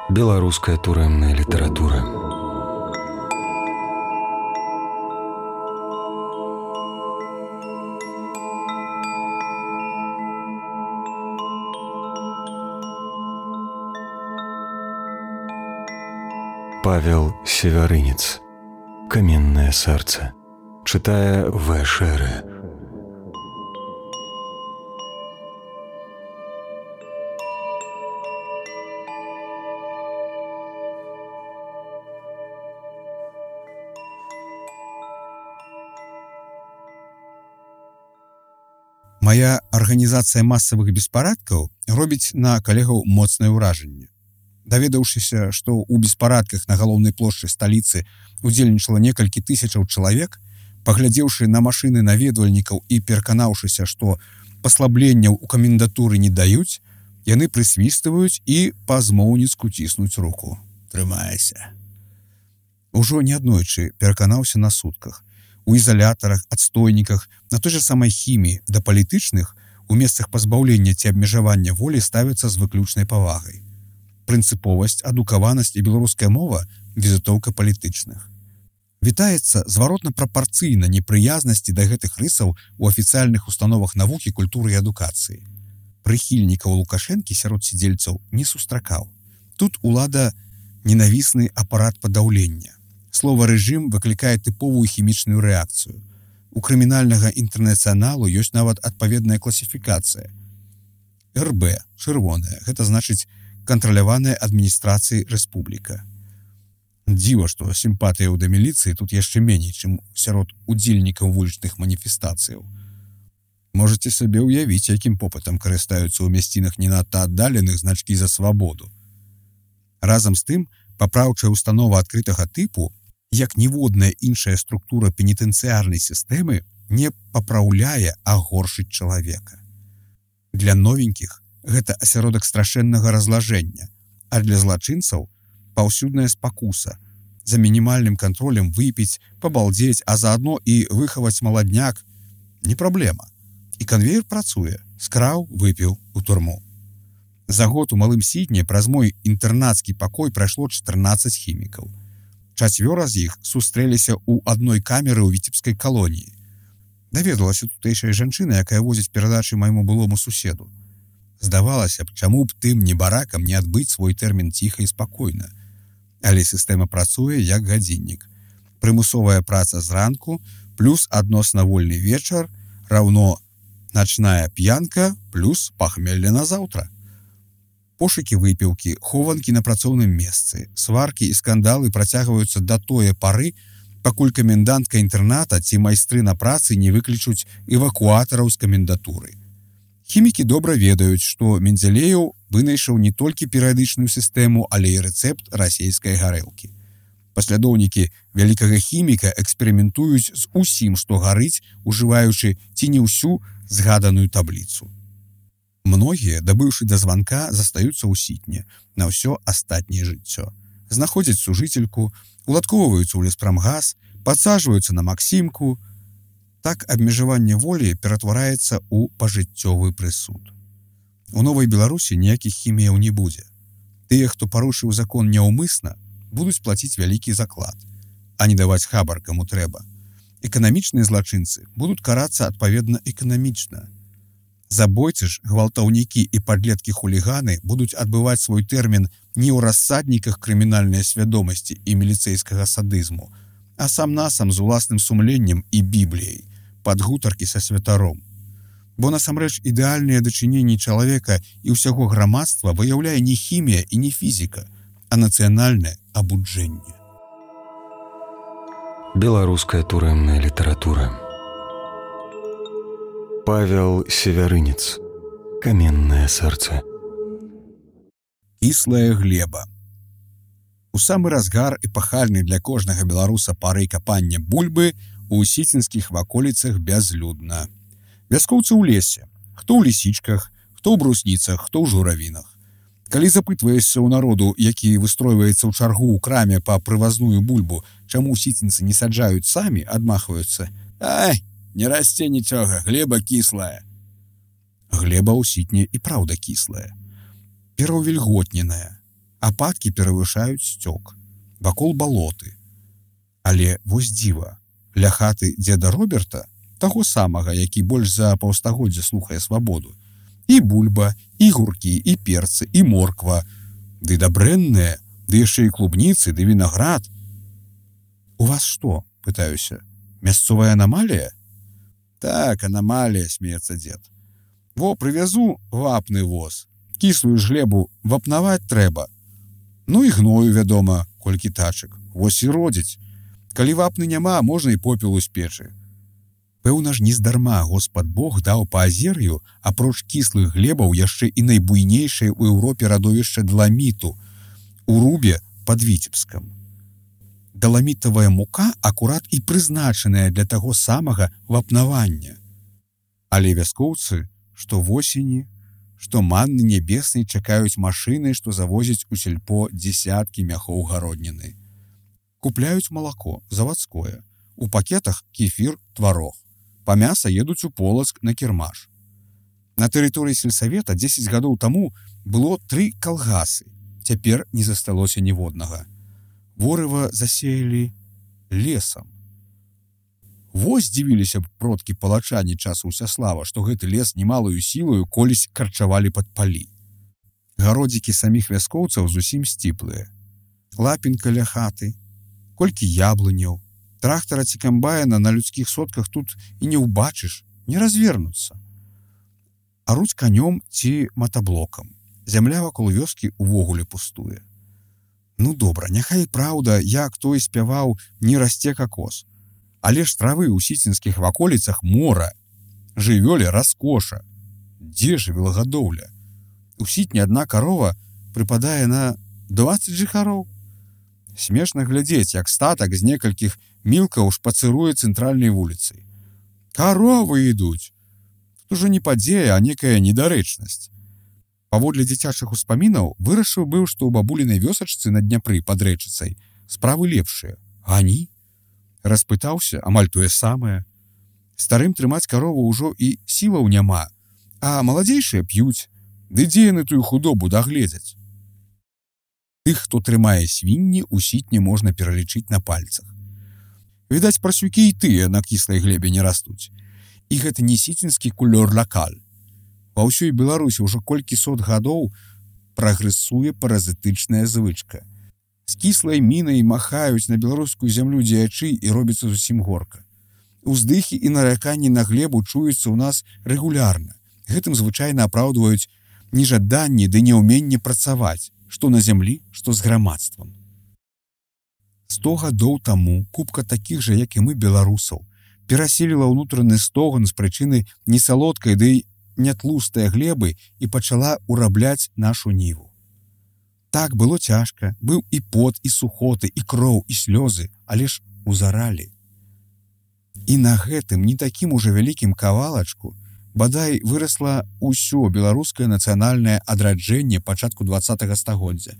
Беларуская турэмная літаратура. Павел Севярынец. Каменное сердце. Читая В. Шеры. Мая арганізацыя масавых беспарадкаў робіць на калегаў моцнае ўражанне. Даведаўшыся, што ў беспарадках на галоўнай плошчы сталіцы удзельнічала некалькі тысячаў чалавек, паглядзеўшы на машыны наведвальнікаў і пераканаўшыся, што паслабленняў у камендатуры не даюць, яны прысвістваюць і па-змоўніцку ціснуць руку. Трымайся. Ужо неаднойчы пераканаўся на сутках. У ізалятарах, адстойніках, на той жа самай хіміі да палітычных у месцах пазбаўлення ці абмежавання волі ставяцца з выключнай павагай. Прынцыповасць, адукаванасць і беларуская мова – візітоўка палітычных. Вітаецца зваротна-прапарцыйна непрыязнасці да гэтых рысаў у афіцыяльных установах навукі, культуры і адукацыі. Прыхільнікаў Лукашэнкі сярод сядзельцаў не сустракаў. Тут улада ненавісны апарат падаўлення. Слова «рэжым» выклікае тыповую хімічную рэакцыю. У крымінальнага інтэрнацыяналу ёсць нават адпаведная класіфікацыя. РБ, чырвоная, гэта значыць кантраляваная адміністрацыяй рэспубліка. Дзіва, што сімпатыяў да міліцыі тут яшчэ меней, чым сярод удзельнікаў вулічных маніфестацыяў. Можаце сабе ўявіць, якім попытам карыстаюцца ў мясцінах не надта аддаленых значкі за свабоду. Разам з тым, папраўчая установа адкрытага тыпу, як ніводная іншая структура пенітэнцыярнай сістэмы не папраўляе, а горшыць чалавека. Для новенькіх гэта асяродак страшэннага разлажэння, а для злачынцаў паўсюдная спакуса. За мінімальным кантролем выпіць, пабалдзець, а заадно і выхаваць маладняк не праблема. І канвеер працуе, скраў, выпіў у турму. За год у Малым Сідне праз мой інтэрнацкі пакой прайшло 14 хімікаў. 4 з іх сустрэліся ў адной камеры ў віцебскай калоніі. Даведалася тутэйшая жанчына, якая возіць перадачы майму былому суседу. Здавалася б, чаму б тым небаракам не адбыць свой тэрмін ціха і спакойна. Але сістэма працуе як гадзіннік. Прымусовая праца зранку плюс адносна вольны вечар раўно начная п'янка плюс пахмелле на заўтра. Пошукі выпіўкі, хованкі на працоўным месцы, сваркі і скандалы працягваюцца да тое пары, пакуль камендантка інтэрната ці майстры на працы не выклічуць эвакуатараў з камендатуры. Хімікі добра ведаюць, што Мензелееў вынайшаў не толькі перыядычную сістэму, але і рэцэпт расейскай гарэлкі. Паслядоўнікі вялікага хіміка эксперыментуюць з усім, што гарыць, ужываючы ці не ўсю згаданую табліцу. Многія, дабыўшы да званка, застаюцца ў Сітне на ўсё астатняе жыццё. Знаходзяць сужыцельку, уладкоўваюцца ў леспрамгас, падсаджваюцца на Максімку. Так абмежаванне волі ператвараецца ў пажыццёвы прысуд. У Новай Беларусі ніякіх хіміяў не будзе. Тыя, хто парушыў закон няўмысна, будуць плаціць вялікі заклад, а не даваць хабар каму трэба. Эканамічныя злачынцы будуць карацца адпаведна эканамічна. Забойцы ж, гвалтаўнікі і падлеткі-хуліганы будуць адбываць свой тэрмін не ў рассадніках крымінальнай свядомасці і міліцэйскага садызму, а сам-насам з уласным сумленнем і бібліяй, пад гутаркі са святаром. Бо насамрэч ідэальныя дачыненні чалавека і ўсяго грамадства выяўляе не хімія і не фізіка, а нацыянальнае абуджэнне. Беларуская турэмная літаратура. Павел Севярынец. Каменное сердце. Кіслая глеба. У самы разгар эпахальны для кожнага беларуса пары капання бульбы у сіцінскіх ваколіцах бязлюдна. Вяскоўцы ў лесе, хто ў лісічках, хто ў брусніцах, хто ў журавінах. Калі запытваешся ў народу, які выстройваецца ў чаргу ў краме па прывазную бульбу, чаму сіцінцы не саджаюць самі, адмахваюцца: «Ай, не расце нічога, глеба кіслая». Глеба ў Сітне і праўда кіслая. Пераўвільготненая. Ападкі перавышаюць сцёк. Вакол балоты. Але вось дзіва. Ля хаты дзеда Роберта, таго самага, які больш за паўстагоддзя слухае свабоду, і бульба, і гуркі, і перцы, і морква, ды дабрэнныя, ды яшчэ і клубніцы, ды вінаград. У вас што, пытаюся, мясцовая анамалія? Так, анамалія, смеецца дзед. Во, прывязу вапны воз. Кіслую ж глебу вапнаваць трэба. Ну і гною, вядома, колькі тачак. Вось і родзіць. Калі вапны няма, можна і попелу з печы. Пэўна ж, нездарма Господ Бог даў Паазер'ю, апроч кіслых глебаў, яшчэ і найбуйнейшае ў Еўропе радовішча даламіту, у Рубе пад Віцебскам. Даламітавая мука акурат і прызначаная для таго самага вапнавання. Але вяскоўцы, што восені, што манны нябеснай чакаюць машыны, што завозяць у сельпо дзесяткі мяхоў гародніны. Купляюць малако, завадское, у пакетах кефір, тварог. Па мяса едуць у Полацк на кірмаш. На тэрыторыі сельсавета 10 гадоў таму было 3 калгасы. Цяпер не засталося ніводнага. Ворыва засеялі лесам. Вось здзівіліся б продкі палачані часу Усяслава, што гэты лес немалую сілаю колісь карчавалі пад палі. Гародзікі саміх вяскоўцаў зусім сціплыя. Лапінка ля хаты, колькі яблыняў, трактара ці камбайна на людскіх сотках тут і не ўбачыш, не развернуцца. Аруць канём ці матаблокам. Зямля вакол вёскі увогуле пустуе. Ну добра, няхай праўда, як той спяваў, не расце какос. Але ж травы ў сіцінскіх ваколіцах мора. Жывёле раскоша. Дзе жывёлагадоўля? У сітні адна карова прыпадае на 20 жыхароў. Смешна глядзець, як статак з некалькіх мілкаў шпацыруе цэнтральнай вуліцай. Каровы ідуць. Тут ужо не падзея, а некая недарэчнасць. Паводле дзіцячых успамінаў вырашыў быў, што ў бабулінай вёсачцы на Дняпры пад рэчыцай справы лепшыя. Гані? Распытаўся, амаль тое самае. Старым трымаць карову ўжо і сілаў няма, а маладзейшыя п'юць, ды дзе яны тую худобу дагледзяць. Тых, хто трымае свінні, у сітні можна пералічыць на пальцах. Відаць, прасюкі і тыя на кіслай глебе не растуць. І гэта не сіцінскі кулёр лакаль. Ва ўсёй Беларусі ўжо колькі сот гадоў прагрэсуе паразітычная звычка. З кіслай мінай махаюць на беларускую зямлю дзеячы і робіцца зусім горка. Уздыхі і нараканні на глебу чуюцца ў нас рэгулярна. Гэтым звычайна апраўдваюць нежаданні ды няўменне працаваць, што на зямлі, што з грамадствам. 100 гадоў таму купка такіх жа, як і мы, беларусаў, пераселіла ўнутраны стоган з прычыны несалодкай ды нятлустае глебы і пачала урабляць нашу ніву. Так, было цяжка, быў і пот, і сухоты, і кроў, і слёзы, але ж узаралі. І на гэтым не такім ужо вялікім кавалачку бадай вырасла ўсё беларускае нацыянальнае адраджэнне пачатку 20-го стагоддзя.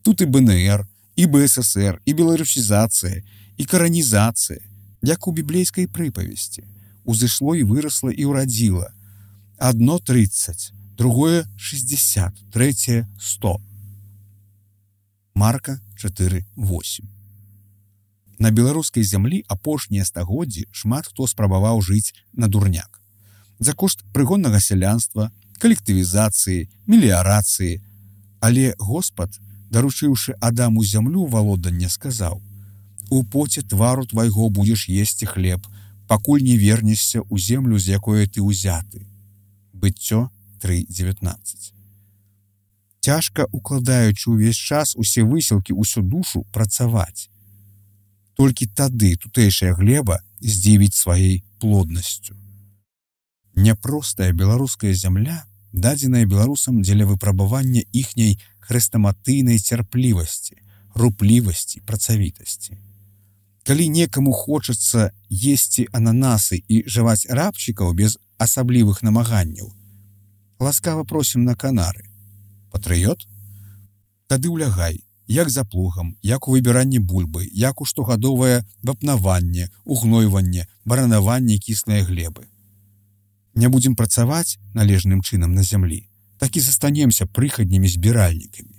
Тут і БНР, і БССР, і беларусізацыя, і каранізацыя, як у біблейскай прыпавесці. Узышло і вырасла і ўрадзіла. Адно 30, другое 60, трэцяе 100. Марка 4:8. На беларускай зямлі апошнія стагоддзі шмат хто спрабаваў жыць на дурняк. За кошт прыгоннага сялянства, калектывізацыі, меліярацыі. Але Господ, даручыўшы Адаму зямлю валоданне, сказаў: «У поце твару твайго будзеш есці хлеб, пакуль не вернешся ў землю, з якое ты ўзяты». Быццё 3:19. Цяжка, укладаючы ўвесь час усе высілкі, усю душу, працаваць. Толькі тады тутэйшая глеба здзівіць сваёй плоднасцю. Няпростая беларуская зямля, дадзеная беларусам дзеля выпрабавання іхняй хрэстаматыйнай цярплівасці, руплівасці, працавітасці. Калі некаму хочацца есці ананасы і жаваць рабчыкаў без асаблівых намаганняў, ласкава просім на Канары. Патрыёт? Тады ўлягай, як за плугам, як у выбіранні бульбы, як у штогадовае вапнаванне, угнойванне, баранаванне кіслай глебы. Не будзем працаваць належным чынам на зямлі, так і застанемся прыхаднімі збіральнікамі.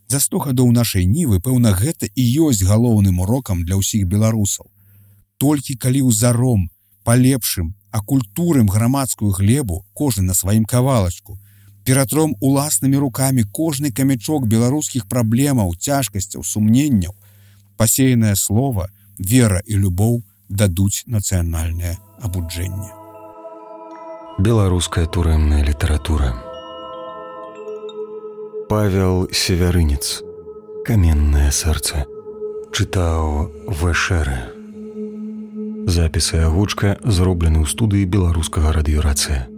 За 100 гадоў нашай нівы, пэўна, гэта і ёсць галоўным урокам для ўсіх беларусаў. Толькі калі ўзаром, палепшым, акультурым грамадскую глебу, кожны на сваім кавалачку, ператром уласнымі рукамі кожны камячок беларускіх праблемаў, цяжкасцяў, сумненняў, пасеянае слова, вера і любоў дадуць нацыянальнае абуджэнне. Беларуская турэмная літаратура. Павел Севярынец. Каменнае сэрца. Чытаў Вэшэры. Запіс і агучка зроблены ў студыі беларускага радыёрацыя.